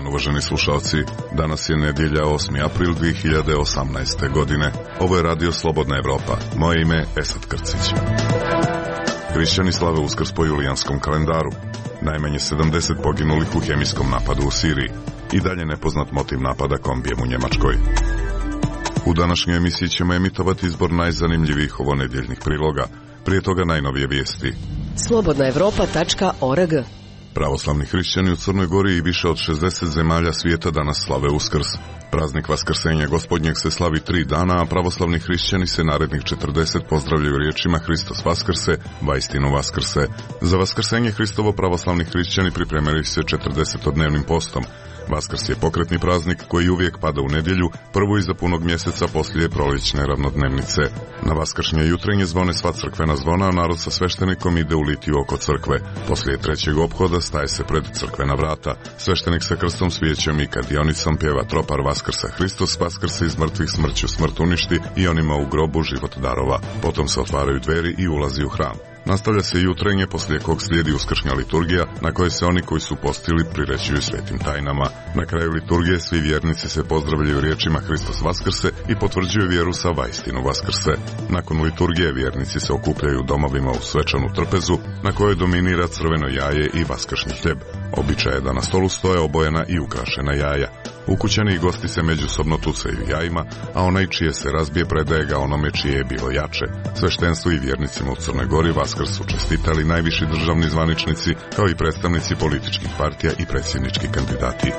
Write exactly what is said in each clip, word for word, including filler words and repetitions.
dan, uvaženi slušalci. Danas je nedjelja osmi april dvije hiljade osamnaeste. godine. Ovo je Radio Slobodna Evropa. Moje ime je Esad Krcić. Hrišćani slave Uskrs po julijanskom kalendaru. Najmanje sedamdeset poginulih u hemijskom napadu u Siriji. I dalje nepoznat motiv napada kombijem u Njemačkoj. U današnjoj emisiji ćemo emitovati izbor najzanimljivijih ovonedjeljnih priloga. Prije toga najnovije vijesti. slobodna evropa tačka org. Pravoslavni hrišćani u Crnoj Gori i više od šezdeset zemalja svijeta danas slave Uskrs. Praznik Vaskrsenja Gospodnjeg se slavi tri dana, a pravoslavni hrišćani se narednih četrdeset pozdravljaju riječima Hristos Vaskrse, vaistinu Vaskrse. Za Vaskrsenje Hristovo pravoslavni hrišćani pripremili se četrdesetodnevnim postom. Vaskrs je pokretni praznik koji uvijek pada u nedjelju, prvu iza punog mjeseca poslije proljećne ravnodnevnice. Na vaskršnje jutrenje zvone sva crkvena zvona, a narod sa sveštenikom ide u litiju oko crkve. Poslije trećeg ophoda staje se pred crkvena vrata. Sveštenik sa krstom, svijećom i kadionicom pjeva tropar Vaskrsa Hristos, Vaskrse iz mrtvih smrću smrt uništi i onima u grobu život darova. Potom se otvaraju dveri i ulazi u hram. Nastavlja se jutrenje, poslije kog slijedi uskršnja liturgija, na kojoj se oni koji su postili prirećuju svetim tajnama. Na kraju liturgije svi vjernici se pozdravljaju riječima Hristos Vaskrse i potvrđuju vjeru sa vaistinu Vaskrse. Nakon liturgije vjernici se okupljaju u domovima u svečanu trpezu, na kojoj dominira crveno jaje i vaskršnji hljeb. Običaj je da na stolu stoje obojena i ukrašena jaja. Ukućani i gosti se međusobno tucaju jajima, a onaj čije se razbije predaje ga onome čije je bilo jače. Sveštenstvu i vjernicima u Crnoj Gori Vaskrs su čestitali najviši državni zvaničnici, kao i predstavnici političkih partija i predsjednički kandidati.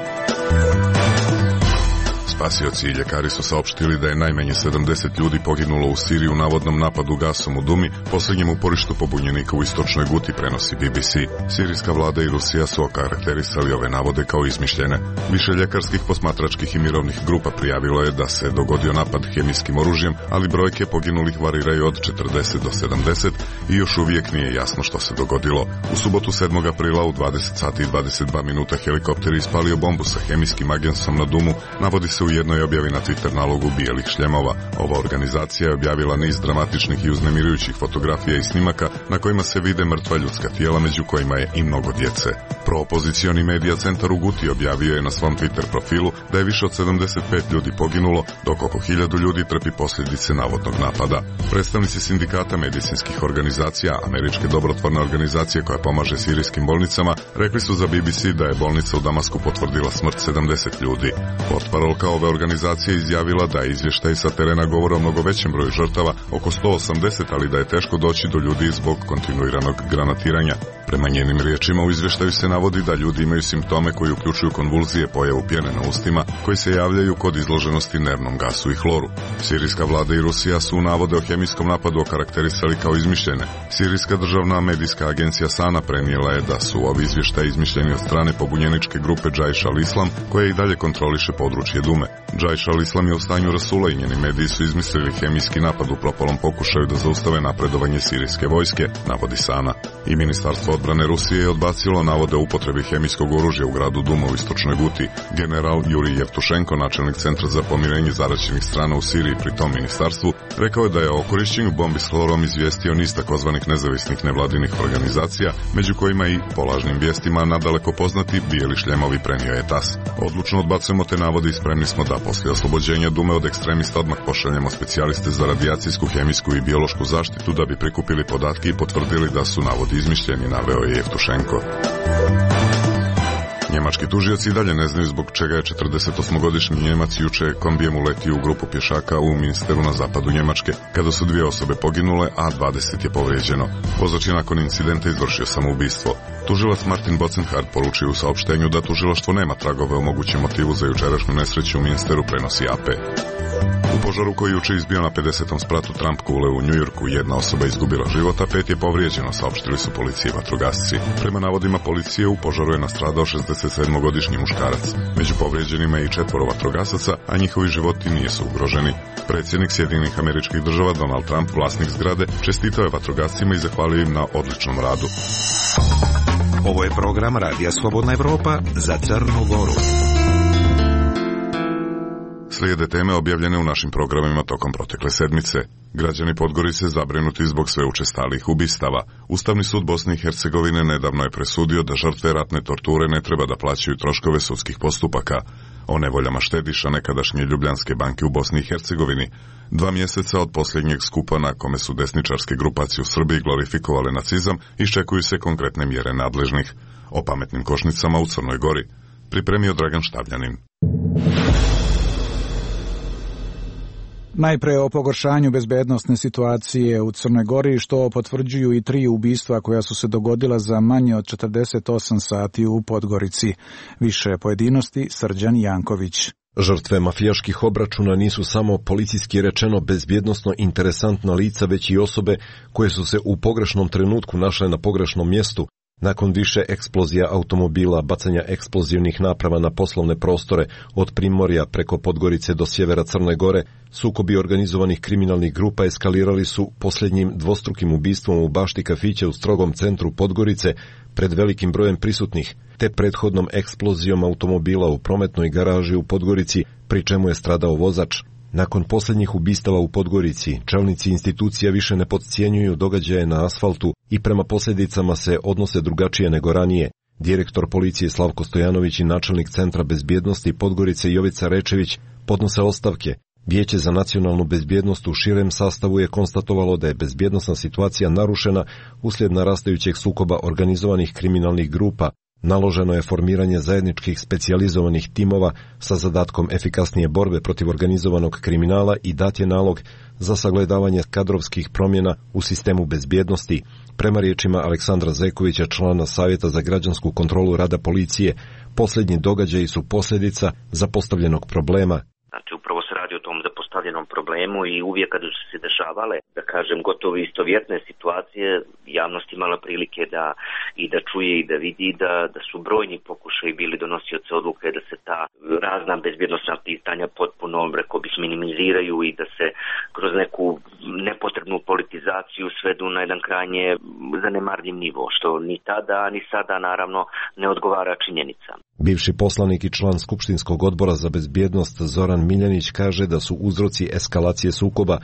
Spasioci i ljekari su saopštili da je najmanje sedamdeset ljudi poginulo u Siriji u navodnom napadu gasom u Dumi, posljednjem uporištu pobunjenika u istočnoj Guti, prenosi B B C. Sirijska vlada i Rusija su okarakterisali ove navode kao izmišljene. Više ljekarskih, posmatračkih i mirovnih grupa prijavilo je da se dogodio napad hemijskim oružjem, ali brojke poginulih variraju od četrdeset do sedamdeset i još uvijek nije jasno što se dogodilo. U subotu sedmog aprila u dvadeset sati i dvadeset dva minuta helikopter ispalio bombu sa hemijskim agensom na Dumu, navodi se u jednoj objavi na Twitter nalogu Bijelih šljemova. Ova organizacija je objavila niz dramatičnih i uznemirujućih fotografija i snimaka na kojima se vide mrtva ljudska tijela, među kojima je i mnogo djece. Proopozicioni medija centar u Guti objavio je na svom Twitter profilu da je više od sedamdeset pet ljudi poginulo, dok oko hiljadu ljudi trpi posljedice navodnog napada. Predstavnici sindikata medicinskih organizacija, američke dobrotvorne organizacije koja pomaže sirijskim bolnicama, rekli su za B B C da je bolnica u Damasku potvrdila smrt sedamdeset ljudi. Portparolka ove organizacije izjavila da je izvještaj sa terena govore o mnogo većem broju žrtava, oko sto osamdeset, ali da je teško doći do ljudi zbog kontinuiranog granatiranja. Prema njenim riječima u izvještaju se navodi da ljudi imaju simptome koji uključuju konvulzije, pojavu pjene na ustima, koji se javljaju kod izloženosti nervnom gasu i hloru. Sirijska vlada i Rusija su navode o hemijskom napadu okarakterisali kao izmišljene. Sirijska državna medijska agencija Sana prenijela je da su ovi izvještaji izmišljeni od strane pobunjeničke grupe Džajš al-Islam, koja i dalje kontroliše područje Dume. Džajš al-Islam je u stanju rasula i njeni mediji su izmislili hemijski napad u propalom pokušaju da zaustave napredovanje sirijske vojske, navodi Sana. I Ministarstvo odbrane Rusije je odbacilo navode o upotrebi hemijskog oružja u gradu Duma u istočnoj Guti. General Jurij Jevtušenko, načelnik centra za pomirenje zaraćenih strana u Siriji pri tom ministarstvu, rekao je da je o korišćenju bombi s hlorom izvijestio niz takozvanih nezavisnih nevladinih organizacija, među kojima i po lažnim vijestima nadaleko poznati Bijeli šljemovi, prenio je tas. Odlučno odbacujemo te navode i spremni smo da poslije oslobođenja Dume od ekstremista odmah pošaljemo specijaliste za radijacijsku, hemijsku i biološku zaštitu da bi prikupili podatke i potvrdili da su navodi izmišljeni, naveo je Jevtušenko. Njemački tužioci i dalje ne znaju zbog čega je četrdesetosmogodišnji Njemac juče kombijem uletio u grupu pješaka u Münsteru na zapadu Njemačke, kada su dvije osobe poginule, a dvadeset je povrijeđeno. Vozač je nakon incidenta izvršio samoubistvo. Tužilac Martin Bocenhardt poručio u saopštenju da tužilaštvo nema tragove o mogućem motivu za jučerašnju nesreću u Münsteru, prenosi A P. U požaru koji juče izbio na pedesetom spratu Trump kule u Njujorku, jedna osoba izgubila život, a pet je povrijeđeno, saopštili su policije i vatrogasci. Prema navodima policije, u požaru je nastradao šezdesetsedmogodišnji muškarac. Među povrijeđenima je i četvoro vatrogasaca, a njihovi životi nisu ugroženi. Predsjednik Sjedinjenih Američkih Država Donald Trump, vlasnik zgrade, čestitao je vatrogascima i zahvalio im na odličnom radu. Ovo je program Radija Slobodna Evropa za Crnu Goru. Slijede teme objavljene u našim programima tokom protekle sedmice. Građani Podgorice zabrinuti zbog sve učestalijih ubistava. Ustavni sud Bosne i Hercegovine nedavno je presudio da žrtve ratne torture ne treba da plaćaju troškove sudskih postupaka. O nevoljama štediša nekadašnje Ljubljanske banke u Bosni i Hercegovini, dva mjeseca od posljednjeg skupa na kome su desničarske grupacije u Srbiji glorifikovale nacizam, iščekuju se konkretne mjere nadležnih. O pametnim košnicama u Crnoj Gori pripremio Dragan Štavljanin. Najpre o pogoršanju bezbednosne situacije u Crnoj Gori, što potvrđuju i tri ubistva koja su se dogodila za manje od četrdeset osam sati u Podgorici. Više pojedinosti Srđan Janković. Žrtve mafijaških obračuna nisu samo policijski rečeno bezbjednosno interesantna lica, već i osobe koje su se u pogrešnom trenutku našle na pogrešnom mjestu. Nakon više eksplozija automobila, bacanja eksplozivnih naprava na poslovne prostore od Primorja preko Podgorice do sjevera Crne Gore, sukobi organizovanih kriminalnih grupa eskalirali su posljednjim dvostrukim ubistvom u bašti kafića u strogom centru Podgorice pred velikim brojem prisutnih, te prethodnom eksplozijom automobila u prometnoj garaži u Podgorici, pri čemu je stradao vozač. Nakon posljednjih ubistava u Podgorici, čelnici institucija više ne podcjenjuju događaje na asfaltu i prema posljedicama se odnose drugačije nego ranije. Direktor policije Slavko Stojanović i načelnik Centra bezbjednosti Podgorice Jovica Rečević podnose ostavke. Vijeće za nacionalnu bezbjednost u širem sastavu je konstatovalo da je bezbjednosna situacija narušena uslijed narastajućeg sukoba organizovanih kriminalnih grupa. Naloženo je formiranje zajedničkih specijalizovanih timova sa zadatkom efikasnije borbe protiv organizovanog kriminala i dat je nalog za sagledavanje kadrovskih promjena u sistemu bezbjednosti. Prema riječima Aleksandra Zekovića, člana Savjeta za građansku kontrolu rada policije, posljednji događaji su posljedica zapostavljenog problema. Znači, upravo se radi o tom zapostavljenom problemu i uvijek kada su se dešavale, da kažem, gotovo istovjetne situacije, javnost imala prilike da i da čuje i da vidi da, da su brojni pokušaji bili donosioci odluke da se ta razna bezbjednosna pitanja potpuno, rekao bih, minimiziraju i da se kroz neku nepotrebnu politizaciju svedu na jedan krajnje zanemarljiv nivo, što ni tada, ni sada naravno ne odgovara činjenicama. Bivši poslanik i član Skupštinskog odbora za bezbjednost Zoran Miljanić kaže da su uzroci eskalacije sukoba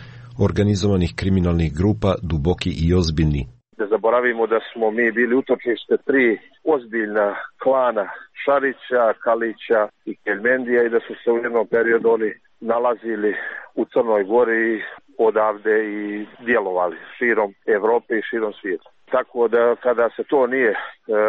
organizovanih kriminalnih grupa duboki i ozbiljni. Da zaboravimo da smo mi bili utočište tri ozbiljna klana Šarića, Kalića i Keljmendija i da su se u jednom periodu oni nalazili u Crnoj Gori odavde i djelovali širom Evrope i širom svijeta. Tako da kada se to nije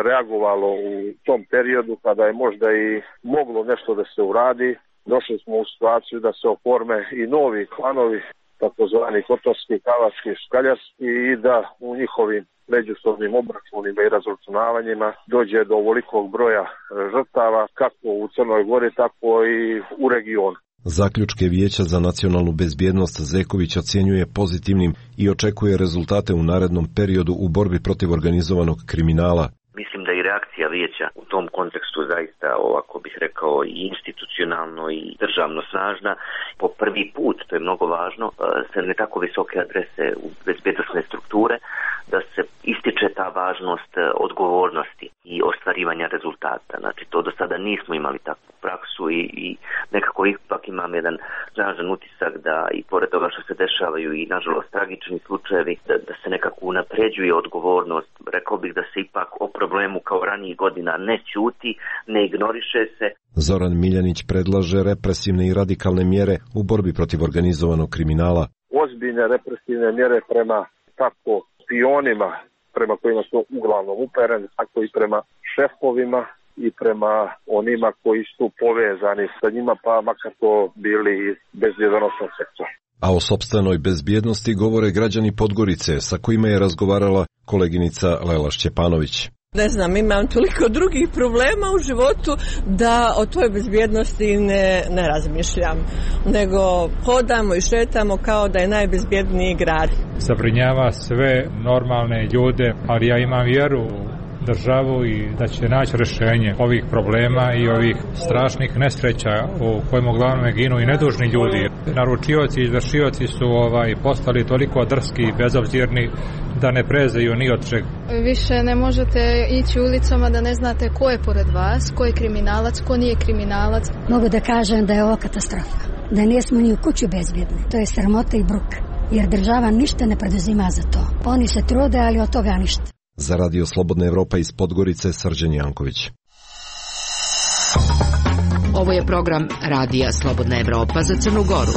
reagovalo u tom periodu, kada je možda i moglo nešto da se uradi, došli smo u situaciju da se oforme i novi klanovi, takozvani kotorski, kavački, škaljarski, i da u njihovim međusobnim obračunima i razračunavanjima dođe do ovolikog broja žrtava, kako u Crnoj Gori, tako i u regionu. Zaključke Vijeća za nacionalnu bezbjednost Zeković ocjenjuje pozitivnim i očekuje rezultate u narednom periodu u borbi protiv organizovanog kriminala. Mislim da i reakcija vijeća u tom kontekstu zaista, ovako bih rekao, i institucionalno i državno snažna. Po prvi put, to je mnogo važno, se ne tako visoke adrese u bezbjednosne strukture, da se ističe ta važnost odgovornosti i ostvarivanja rezultata. Znači, to do sada nismo imali takvu praksu i, i nekako ipak imam jedan snažan utisak da i pored toga što se dešavaju i nažalost tragični slučajevi, da, da se nekako unapređuje odgovornost. Rekao bih da se ipak o problemu kao ranijih godina ne ćuti, ne ignoriše se. Zoran Miljanić predlaže represivne i radikalne mjere u borbi protiv organizovanog kriminala. Ozbiljne represivne mjere prema tako špionima, prema kojima su uglavnom upereni, tako i prema šefovima i prema onima koji su povezani sa njima, pa makar to bili iz bezbjednosnog sektora. A o sopstvenoj bezbjednosti govore građani Podgorice, sa kojima je razgovarala koleginica Lela Šćepanović. Ne znam, imam toliko drugih problema u životu da o toj bezbjednosti ne, ne razmišljam, nego hodamo i šetamo kao da je najbezbjedniji grad. Zabrinjava sve normalne ljude, ali ja imam vjeru u državu i da će naći rješenje ovih problema i ovih strašnih nesreća u kojima uglavnom ginu i nedužni ljudi. Naručioci i izvršioci su ovaj, postali toliko drski i bezobzirni da ne prezeju ni od čega. Više ne možete ići ulicama da ne znate ko je pored vas, ko je kriminalac, ko nije kriminalac. Mogu da kažem da je ovo katastrofa. da nismo ni u kuću bezbjedni. To je sramota i bruk, jer država ništa ne preduzima za to. Oni se trude, ali od toga ništa. Za Radio Slobodna Evropa iz Podgorice, Srđan Janković. Ovo je program Radija Slobodna Evropa za Crnu Goru.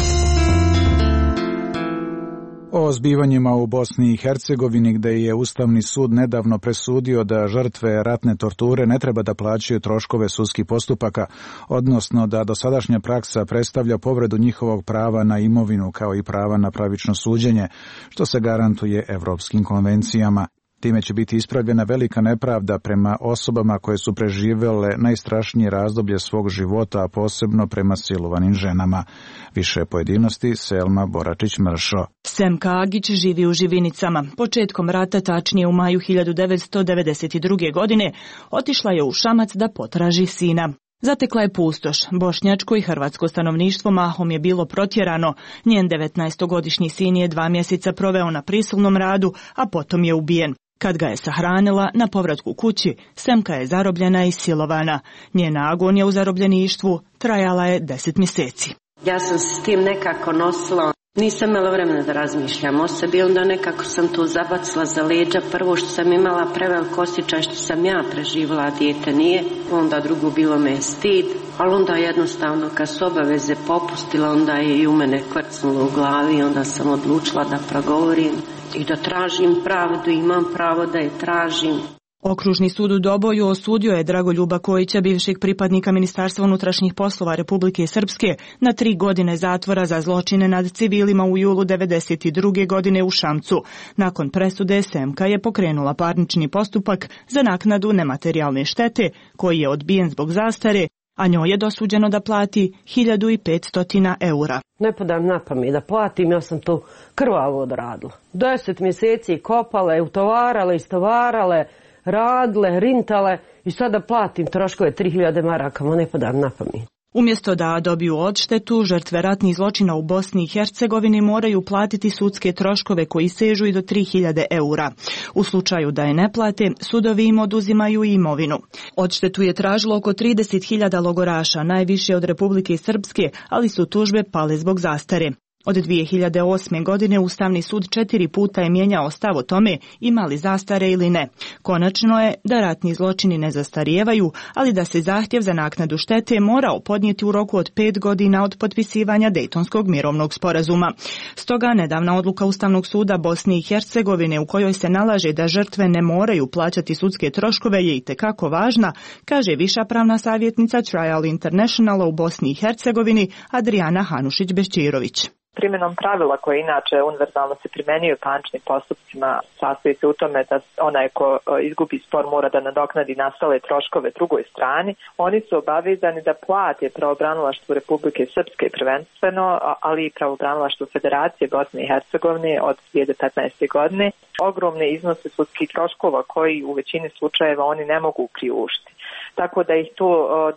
O zbivanjima u Bosni i Hercegovini, gde je Ustavni sud nedavno presudio da žrtve ratne torture ne treba da plaćaju troškove sudskih postupaka, odnosno da dosadašnja praksa predstavlja povredu njihovog prava na imovinu kao i prava na pravično suđenje, što se garantuje evropskim konvencijama. Time će biti ispravljena velika nepravda prema osobama koje su preživele najstrašnije razdoblje svog života, a posebno prema silovanim ženama. Više pojedinosti Selma Boračić-Mršo. Semka Agić živi u Živinicama. Početkom rata, tačnije u maju hiljadu devetsto devedeset druge. godine, otišla je u Šamac da potraži sina. Zatekla je pustoš. Bošnjačko i hrvatsko stanovništvo mahom je bilo protjerano. Njen devetnaestogodišnji sin je dva mjeseca proveo na prisilnom radu, a potom je ubijen. Kad ga je sahranila, na povratku kući, Semka je zarobljena i silovana. Njena agonija u zarobljeništvu trajala je deset mjeseci. Ja sam se s tim nekako nosila. Nisam imala vremena da razmišljam o sebi, onda nekako sam tu zabacila za leđa. Prvo što sam imala prevelik osjećaj što sam ja preživjela, a dijete nije. Onda drugo bilo me je stid, ali onda jednostavno kad su obaveze popustila, onda je i u mene kvrcnulo u glavi. Onda sam odlučila da progovorim i da tražim pravdu, imam pravo da je tražim. Okružni sud u Doboju osudio je Dragoljuba Kojića, bivšeg pripadnika Ministarstva unutrašnjih poslova Republike Srpske, na tri godine zatvora za zločine nad civilima u julu devedeset druge. godine u Šamcu. Nakon presude Semka je pokrenula parnični postupak za naknadu nematerijalne štete, koji je odbijen zbog zastare, a njoj je dosuđeno da plati hiljadu petsto eura. Ne podam na pamet da platim, ja sam to krvavo odradila. Deset mjeseci kopale, utovarale, istovarale, radile, rintale i sada platim troškove tri hiljade maraka, ma ne podam na pamet. Umjesto da dobiju odštetu, žrtve ratnih zločina u Bosni i Hercegovini moraju platiti sudske troškove koji sežu i do tri hiljade eura. U slučaju da je ne plate, sudovi im oduzimaju imovinu. Odštetu je tražilo oko trideset hiljada logoraša, najviše od Republike Srpske, ali su tužbe pale zbog zastare. Od dvije hiljade osme. godine Ustavni sud četiri puta je mijenjao stav o tome ima li zastare ili ne. Konačno je da ratni zločini ne zastarijevaju, ali da se zahtjev za naknadu štete morao podnijeti u roku od pet godina od potpisivanja Dejtonskog mirovnog sporazuma. Stoga nedavna odluka Ustavnog suda Bosne i Hercegovine u kojoj se nalaže da žrtve ne moraju plaćati sudske troškove je itekako važna, kaže viša pravna savjetnica Trial Internationala u Bosni i Hercegovini Adriana Hanušić-Bećirović. Primjenom pravila koje inače univerzalno se primenjuju parničnim postupcima sastoji se u tome da onaj ko izgubi spor mora da nadoknadi nastale troškove drugoj strani. Oni su obavezani da plate pravobranilaštvu Republike Srpske prvenstveno, ali i pravobranilaštvu Federacije Bosne i Hercegovine od dvije hiljade petnaeste. godine. Ogromne iznose sudskih troškova koji u većini slučajeva oni ne mogu priuštiti. Tako da ih to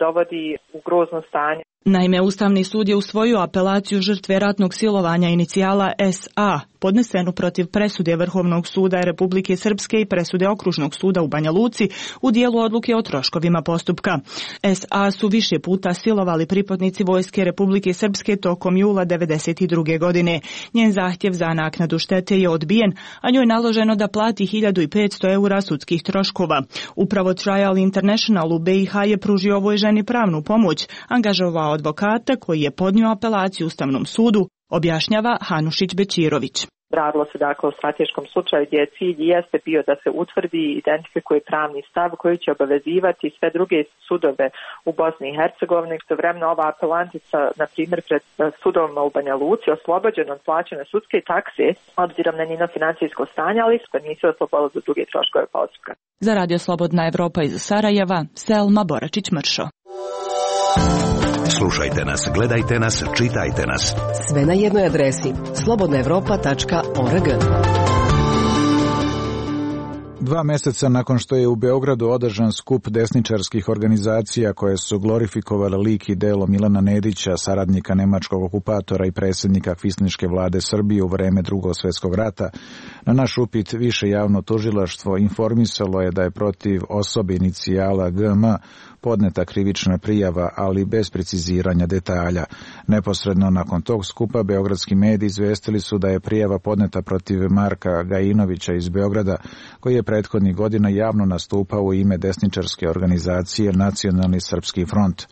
dovodi u grozno stanje. Naime, Ustavni sud je usvojio apelaciju žrtve ratnog silovanja inicijala S A, podnesenu protiv presude Vrhovnog suda Republike Srpske i presude Okružnog suda u Banja Luci u dijelu odluke o troškovima postupka. S A su više puta silovali pripadnici vojske Republike Srpske tokom jula devedeset druge. godine. Njen zahtjev za naknadu štete je odbijen, a njoj je naloženo da plati hiljadu petsto eura sudskih troškova. Upravo Trial International u B i H je pružio ovoj ženi pravnu pomoć, angažovao advokata koji je podnio apelaciju Ustavnom sudu, objašnjava Hanušić-Bećirović. Radilo se dakle o strateškom slučaju gdje cilj jeste bio da se utvrdi i identifikuje pravni stav koji će obavezivati sve druge sudove u Bosni i Hercegovini. Istovremeno ova apelantica, na primjer, pred sudovima u Banja Luci oslobođena od plaćanja sudske takse obzirom na njeno financijsko stanje, ali se nisu oslobodili za druge troškove postupka. Za Radio Slobodna Evropa iz Sarajeva, Selma Boračić-Mršo. Slušajte nas, gledajte nas, čitajte nas. Sve na jednoj adresi slobodna evropa tačka org. Dva meseca nakon što je u Beogradu održan skup desničarskih organizacija koje su glorifikovale lik i delo Milana Nedića, saradnika nemačkog okupatora i predsjednika kvislinške vlade Srbije u vreme Drugog svjetskog rata, na naš upit više javno tužilaštvo informisalo je da je protiv osobe inicijala G M podneta krivična prijava, ali bez preciziranja detalja. Neposredno nakon tog skupa beogradski mediji izvestili su da je prijava podneta protiv Marka Gajinovića iz Beograda, koji je prethodnih godina javno nastupao u ime desničarske organizacije Nacionalni srpski front.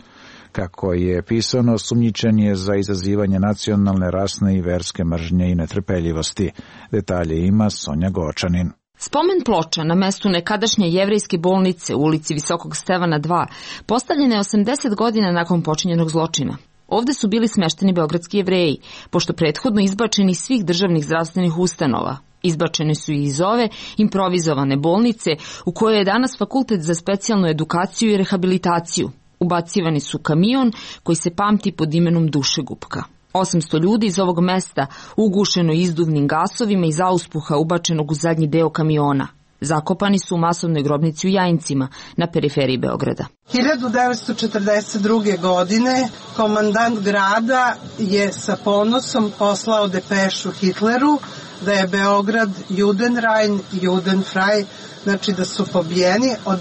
Kako je pisano, osumnjičen je za izazivanje nacionalne, rasne i verske mržnje i netrpeljivosti. Detalje ima Sonja Gočanin. Spomen ploča na mestu nekadašnje jevrejske bolnice u ulici Visokog Stevana dva postavljena je osamdeset godina nakon počinjenog zločina. Ovde su bili smešteni beogradski Jevreji, pošto prethodno izbačeni iz svih državnih zdravstvenih ustanova. Izbačene su i iz ove improvizovane bolnice u kojoj je danas Fakultet za specijalnu edukaciju i rehabilitaciju. Ubacivani su kamion koji se pamti pod imenom Dušegupka. osamsto ljudi iz ovog mesta ugušeno izduvnim gasovima iz auspuha ubačenog u zadnji deo kamiona. Zakopani su u masovnoj grobnici u Jajincima na periferiji Beograda. hiljadu devetsto četrdeset druge. godine komandant grada je sa ponosom poslao depešu Hitleru da je Beograd Judenrein, Judenfrei, znači da su pobijeni. Od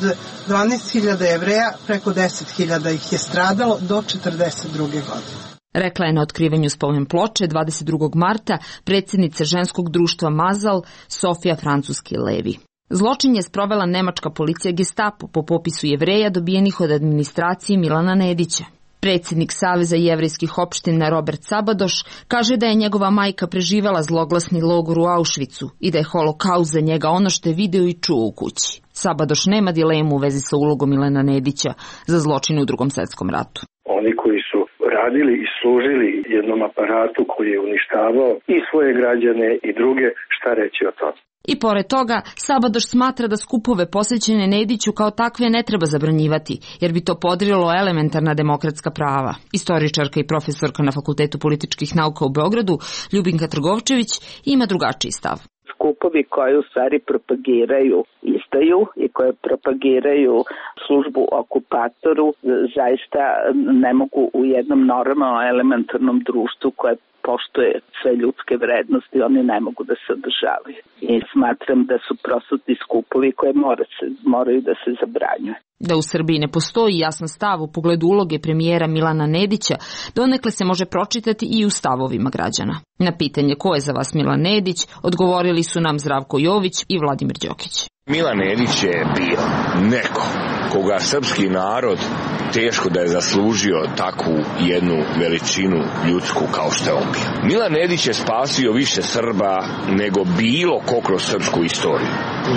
dvanaest hiljada Jevreja preko deset hiljada ih je stradalo do četrdeset druge. godine. Rekla je na otkrivanju spomen ploče dvadeset drugog marta predsjednica ženskog društva Mazal Sofija Francuski Levi. Zločin je sprovela nemačka policija Gestapo po popisu Jevreja dobijenih od administracije Milana Nedića. Predsjednik Saveza jevrejskih opština Robert Sabadoš kaže da je njegova majka preživela zloglasni logor u Auschwitzu i da je holokaust za njega ono što je video i čuo u kući. Sabadoš nema dilemu u vezi sa ulogom Milana Nedića za zločin u Drugom svjetskom ratu. Oni koji su radili i služili jednom aparatu koji je uništavao i svoje građane i druge, šta reći o tom? I pored toga, Sabadoš smatra da skupove posvećene Nediću kao takve ne treba zabranjivati, jer bi to podrilo elementarna demokratska prava. Istoričarka i profesorka na Fakultetu političkih nauka u Beogradu, Ljubinka Trgovčević, ima drugačiji stav. Skupovi koji u stvari propagiraju izdaju i koje propagiraju službu okupatoru zaista ne mogu u jednom normalnom elementarnom društvu koje poštuje sve ljudske vrednosti, oni ne mogu da se održavaju. I smatram da su prosto ti skupovi koje mora se, moraju da se zabranjuju. Da u Srbiji ne postoji jasan stav u pogledu uloge premijera Milana Nedića, donekle se može pročitati i u stavovima građana. Na pitanje ko je za vas Milan Nedić, odgovorili su nam Zdravko Jović i Vladimir Đokić. Milan Nedić je bio neko koga srpski narod teško da je zaslužio takvu jednu veličinu ljudsku kao što je on bio. Milan Nedić je spasio više Srba nego bilo ko kroz srpsku istoriju.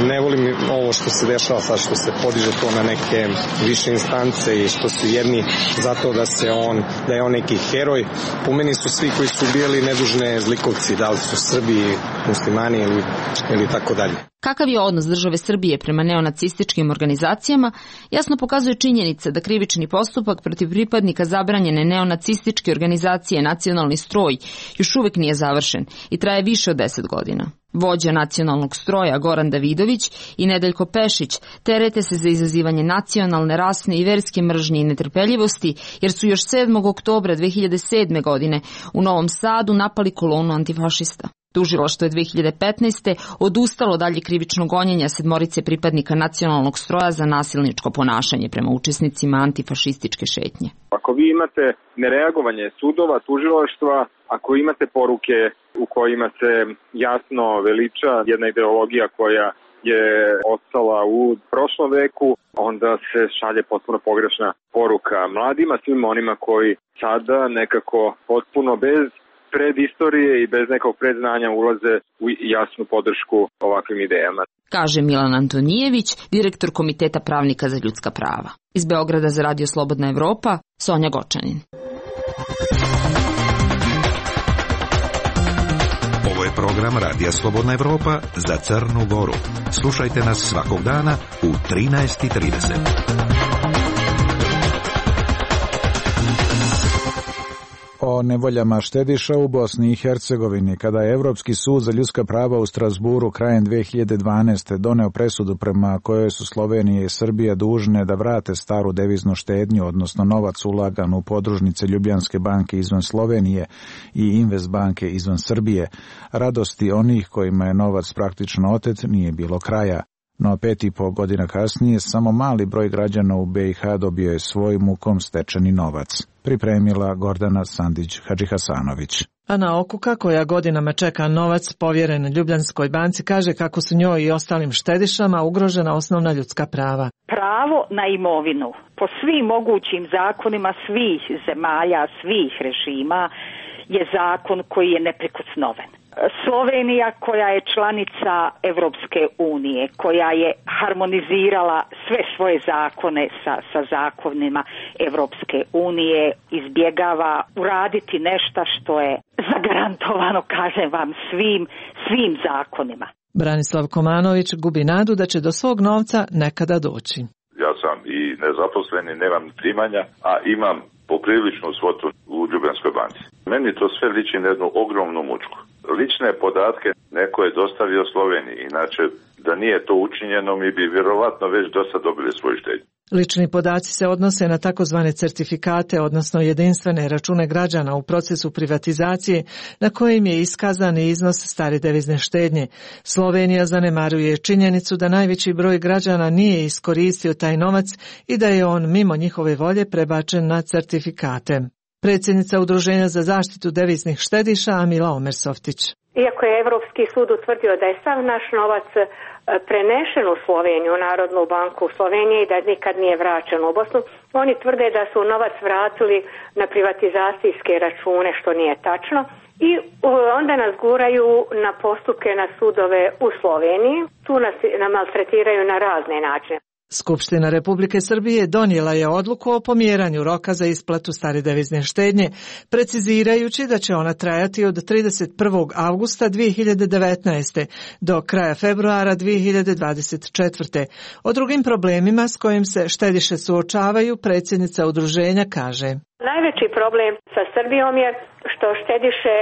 Ne volim ovo što se dešava sad, što se podiže to na neke više instance i što su jedni zato da se on, da je on neki heroj. Po meni su svi koji su ubijali nedužne zlikovci, da li su Srbi, muslimani ili, ili tako dalje. Kakav je odnos države Srbije prema neonacističkim organizacijama, jasno pokazuje činjenica da krivični postupak protiv pripadnika zabranjene neonacističke organizacije Nacionalni stroj još uvijek nije završen i traje više od deset godina. Vođa Nacionalnog stroja Goran Davidović i Nedeljko Pešić terete se za izazivanje nacionalne, rasne i verske mržnje i netrpeljivosti, jer su još sedmog oktobra dve hiljade sedme. godine u Novom Sadu napali kolonu antifašista. Tužilaštvo je dve hiljade petnaeste. odustalo dalje krivično gonjenja sedmorice pripadnika Nacionalnog stroja za nasilničko ponašanje prema učesnicima antifašističke šetnje. Ako vi imate nereagovanje sudova, tužilaštva, ako imate poruke u kojima se jasno veliča jedna ideologija koja je ostala u prošlom veku, onda se šalje potpuno pogrešna poruka mladima, svim onima koji sada nekako potpuno bez pred istorije i bez nekog predznanja ulaze u jasnu podršku ovakvim idejama. Kaže Milan Antonijević, direktor Komiteta pravnika za ljudska prava. Iz Beograda za Radio Slobodna Evropa, Sonja Gočanin. Ovo je program Radija Slobodna Evropa za Crnu Goru. Slušajte nas svakog dana u trinaest i trideset. O o nevoljama štediša u Bosni i Hercegovini. Kada je Evropski sud za ljudska prava u Strasburu krajem dve hiljade dvanaeste. doneo presudu prema kojoj su Slovenija i Srbija dužne da vrate staru deviznu štednju, odnosno novac ulagan u podružnice Ljubljanske banke izvan Slovenije i Invest banke izvan Srbije, radosti onih kojima je novac praktično otet nije bilo kraja. No pet i po godina kasnije samo mali broj građana u be i ha dobio je svoj mukom stečeni novac. Pripremila Gordana Sandić-Hadžihasanović. Ana Okuka, koja godinama čeka novac povjeren Ljubljanskoj banci, kaže kako su njoj i ostalim štedišama ugrožena osnovna ljudska prava. Pravo na imovinu po svim mogućim zakonima svih zemalja, svih režima je zakon koji je neprikosnoven. Slovenija, koja je članica Evropske unije, koja je harmonizirala sve svoje zakone sa, sa zakonima Evropske unije, izbjegava uraditi nešto što je zagarantovano, kažem vam, svim, svim zakonima. Branislav Komanović gubi nadu da će do svog novca nekada doći. Ja sam i nezaposleni, nemam primanja, a imam popriličnu svotu u Ljubljanskoj banci. Meni to sve liči na jednu ogromnu mučku. Lične podatke neko je dostavio Sloveniji, inače da nije to učinjeno mi bi vjerovatno već dosta dobili svoj štednju. Lični podaci se odnose na takozvane certifikate, odnosno jedinstvene račune građana u procesu privatizacije na kojim je iskazan iznos stare devizne štednje. Slovenija zanemaruje činjenicu da najveći broj građana nije iskoristio taj novac i da je on mimo njihove volje prebačen na certifikate. Predsjednica Udruženja za zaštitu deviznih štediša Amila Omersoftić. Iako je Evropski sud utvrdio da je sav naš novac prenešen u Sloveniju, u Narodnu banku u Sloveniji, da nikad nije vraćen u Bosnu, oni tvrde da su novac vratili na privatizacijske račune, što nije tačno. I onda nas guraju na postupke na sudove u Sloveniji. Tu nas maltretiraju na razne načine. Skupština Republike Srbije donijela je odluku o pomjeranju roka za isplatu stare devizne štednje, precizirajući da će ona trajati od trideset prvog avgusta dvije hiljade devetnaeste. do kraja februara dvije hiljade dvadeset četvrte. O drugim problemima s kojim se štediše suočavaju predsjednica udruženja kaže: Najveći problem sa Srbijom je što štediše,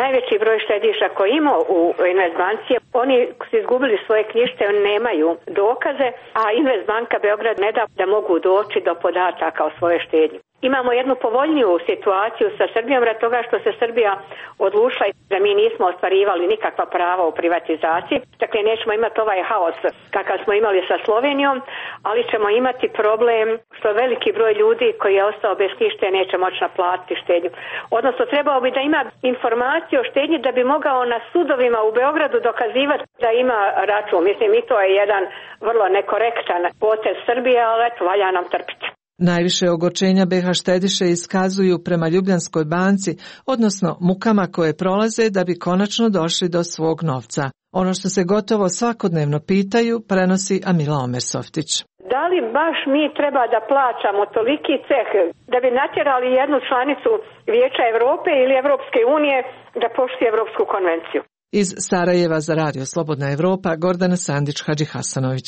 najveći broj štediša koji ima u Investbanci, oni su izgubili svoje knjižice, oni nemaju dokaze, a Investbanka Beograd ne da da mogu doći do podataka o svojoj štednji. Imamo jednu povoljniju situaciju sa Srbijom rad toga što se Srbija odlučila da mi nismo ostvarivali nikakva prava u privatizaciji. Dakle, nećemo imati ovaj haos kakav smo imali sa Slovenijom, ali ćemo imati problem što veliki broj ljudi koji je ostao bez knjižice neće moći naplatiti štednju. Odnosno, trebao bi da ima informaciju o štednji da bi mogao na sudovima u Beogradu dokazivati da ima račun. Mislim, i to je jedan vrlo nekorektan potez Srbije, ali eto, valja nam trpiti. Najviše ogorčenja be ha štediše iskazuju prema Ljubljanskoj banci, odnosno mukama koje prolaze da bi konačno došli do svog novca. Ono što se gotovo svakodnevno pitaju prenosi Amila Omersoftić. Da li baš mi treba da plaćamo toliki ceh da bi natjerali jednu članicu Vijeća Europe ili Evropske unije da poštuje Evropsku konvenciju? Iz Sarajeva za Radio Slobodna Evropa, Gordana Sandić-Hadžihasanović.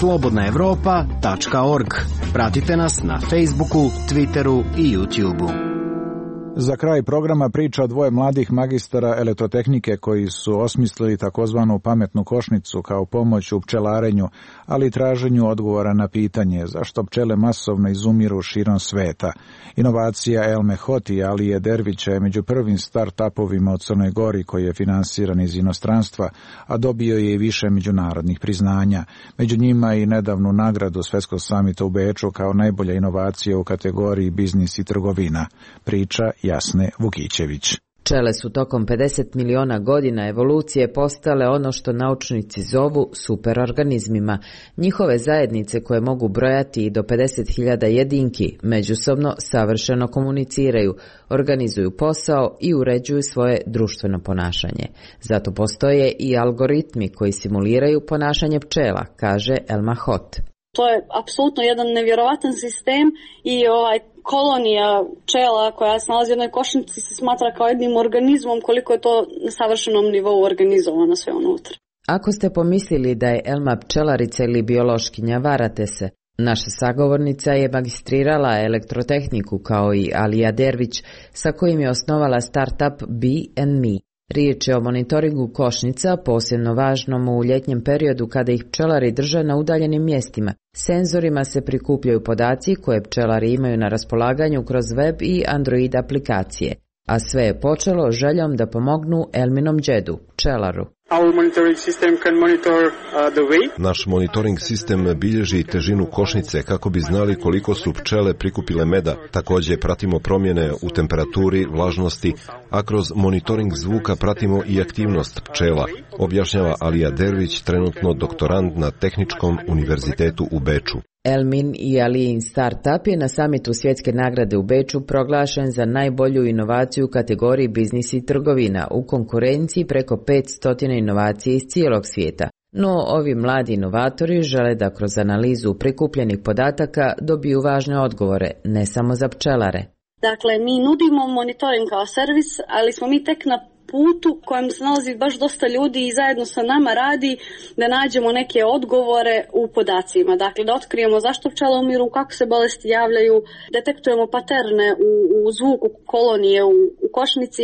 slobodna evropa tačka org. Pratite nas na Facebooku, Twitteru i YouTubeu. Za kraj programa priča o dvoje mladih magistara elektrotehnike koji su osmislili takozvanu pametnu košnicu kao pomoć u pčelarenju, ali i traženju odgovora na pitanje zašto pčele masovno izumiru širom sveta. Inovacija Elme Hoti i Alije Dervića je među prvim start-upovima u Crnoj Gori koji je finansiran iz inostranstva, a dobio je i više međunarodnih priznanja. Među njima i nedavnu nagradu Svetskog samita u Beču kao najbolja inovacija u kategoriji biznis i trgovina. Priča Jasne Vukićević. Pčele su tokom pedeset miliona godina evolucije postale ono što naučnici zovu superorganizmima. Njihove zajednice koje mogu brojati i do pedeset hiljada jedinki međusobno savršeno komuniciraju, organizuju posao i uređuju svoje društveno ponašanje. Zato postoje i algoritmi koji simuliraju ponašanje pčela, kaže Elma Hot. To je apsolutno jedan nevjerovatan sistem i ovaj kolonija pčela koja se nalazi u jednoj košnici se smatra kao jednim organizmom, koliko je to na savršenom nivou organizovano sve unutra. Ako ste pomislili da je Elma pčelarica ili biološkinja, varate se. Naša sagovornica je magistrirala elektrotehniku kao i Alija Dervić, sa kojim je osnovala startup Bee and Me. Riječ je o monitoringu košnica, posebno važnom u ljetnjem periodu kada ih pčelari drže na udaljenim mjestima. Senzorima se prikupljaju podaci koje pčelari imaju na raspolaganju kroz web i Android aplikacije. A sve je počelo željom da pomognu Elminom džedu, pčelaru. Naš monitoring sistem bilježi težinu košnice kako bi znali koliko su pčele prikupile meda. Također pratimo promjene u temperaturi, vlažnosti, a kroz monitoring zvuka pratimo i aktivnost pčela, objašnjava Alija Dervić, trenutno doktorant na Tehničkom univerzitetu u Beču. Elmin i Alijin startup je na samitu svjetske nagrade u Beču proglašen za najbolju inovaciju u kategoriji biznis i trgovina u konkurenciji preko petsto inovacija iz cijelog svijeta. No, ovi mladi inovatori žele da kroz analizu prikupljenih podataka dobiju važne odgovore, ne samo za pčelare. Dakle, mi nudimo monitoring kao servis, ali smo mi tek na putu kojem se nalazi baš dosta ljudi i zajedno sa nama radi da nađemo neke odgovore u podacima. Dakle, da otkrijemo zašto pčele umiru, kako se bolesti javljaju, detektujemo paterne u, u zvuku kolonije u, u košnici,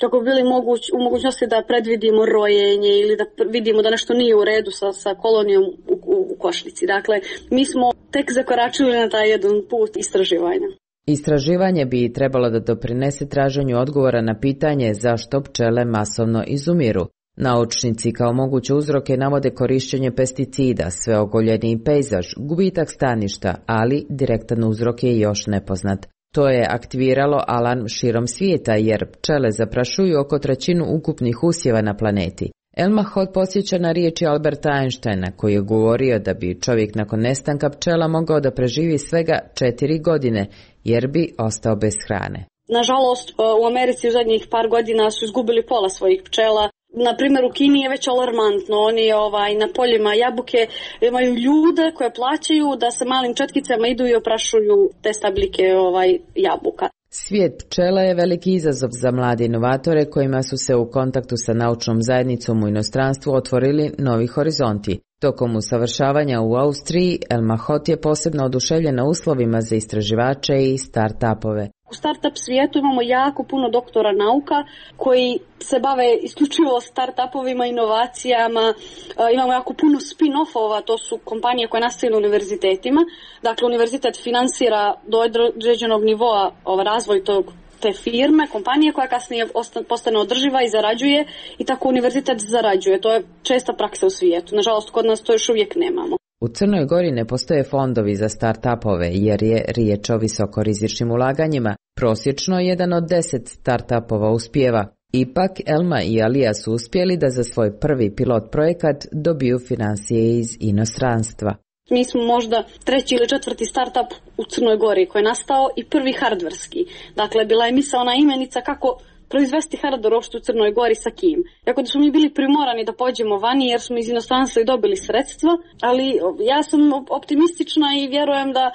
kako bi bili moguć, u mogućnosti da predvidimo rojenje ili da vidimo da nešto nije u redu sa, sa kolonijom u, u, u košnici. Dakle, mi smo tek zakoračili na taj jedan put istraživanja. Istraživanje bi trebalo da doprinese traženju odgovora na pitanje zašto pčele masovno izumiru. Naučnici kao moguće uzroke navode korišćenje pesticida, sveogoljeniji pejzaž, gubitak staništa, ali direktan uzrok je još nepoznat. To je aktiviralo alarm širom svijeta jer pčele zaprašuju oko trećinu ukupnih usjeva na planeti. Elma Hod posjeća na riječi Alberta Einsteina koji je govorio da bi čovjek nakon nestanka pčela mogao da preživi svega četiri godine jer bi ostao bez hrane. Nažalost, u Americi u zadnjih par godina su izgubili pola svojih pčela. Na primjer, u Kini je već alarmantno. Oni ovaj, na poljima jabuke imaju ljude koje plaćaju da se malim četkicama idu i oprašuju te stabljike ovaj, jabuka. Svijet pčela je veliki izazov za mlade inovatore kojima su se u kontaktu sa naučnom zajednicom u inostranstvu otvorili novi horizonti. Tokom usavršavanja u Austriji, Elma Hot je posebno oduševljena uslovima za istraživače i start-upove. U start-up svijetu imamo jako puno doktora nauka koji se bave isključivo start-upovima, inovacijama. Imamo jako puno spin-offova, to su kompanije koje nastaju na univerzitetima. Dakle, univerzitet finansira do određenog nivoa ovaj razvoj tog te firme, kompanije koja kasnije postane održiva i zarađuje i tako univerzitet zarađuje. To je česta praksa u svijetu. Nažalost, kod nas to još uvijek nemamo. U Crnoj Gori ne postoje fondovi za start-upove jer je riječ o visokorizičnim ulaganjima. Prosječno jedan od deset start-upova uspijeva. Ipak, Elma i Alija su uspjeli da za svoj prvi pilot projekat dobiju financije iz inostranstva. Mi smo možda treći ili četvrti startup u Crnoj Gori koji je nastao i prvi hardverski. Dakle, bila je misaona imenica kako proizvesti hardware uopšte u Crnoj Gori sa kim. Jako da smo mi bili primorani da pođemo vani jer smo iz inostranstva i dobili sredstva, ali ja sam optimistična i vjerujem da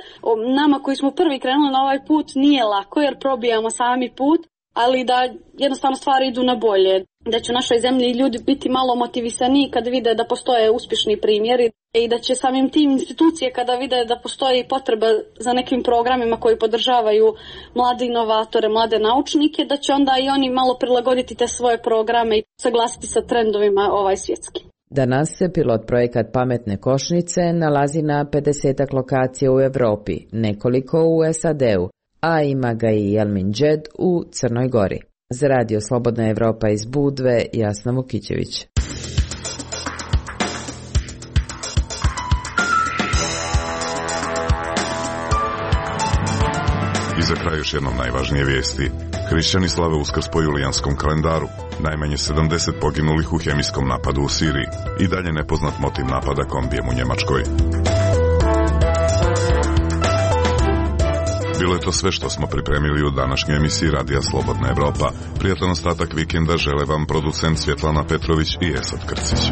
nama koji smo prvi krenuli na ovaj put nije lako jer probijamo sami put, ali da jednostavno stvari idu na bolje. Da će u našoj zemlji ljudi biti malo motivisaniji kada vide da postoje uspješni primjeri i da će samim tim institucije kada vide da postoji potreba za nekim programima koji podržavaju mlade inovatore, mlade naučnike, da će onda i oni malo prilagoditi te svoje programe i saglasiti sa trendovima ovaj svjetski. Danas se pilot projekat Pametne košnice nalazi na pedesetak lokacija u Europi, nekoliko u S A D-u, a ima ga i Elmin džed u Crnoj Gori. Za Radio Slobodna Evropa iz Budve, Jasna Vukićević. I za kraj još jednom najvažnije vijesti. Hrišćani slave Uskrs po julijanskom kalendaru. Najmanje sedamdeset poginulih u hemijskom napadu u Siriji. I dalje nepoznat motiv napada kombijem u Njemačkoj. Bilo je to sve što smo pripremili u današnjoj emisiji Radija Slobodna Evropa. Prijatan ostatak vikenda žele vam producent Svjetlana Petrović i Esad Krcić.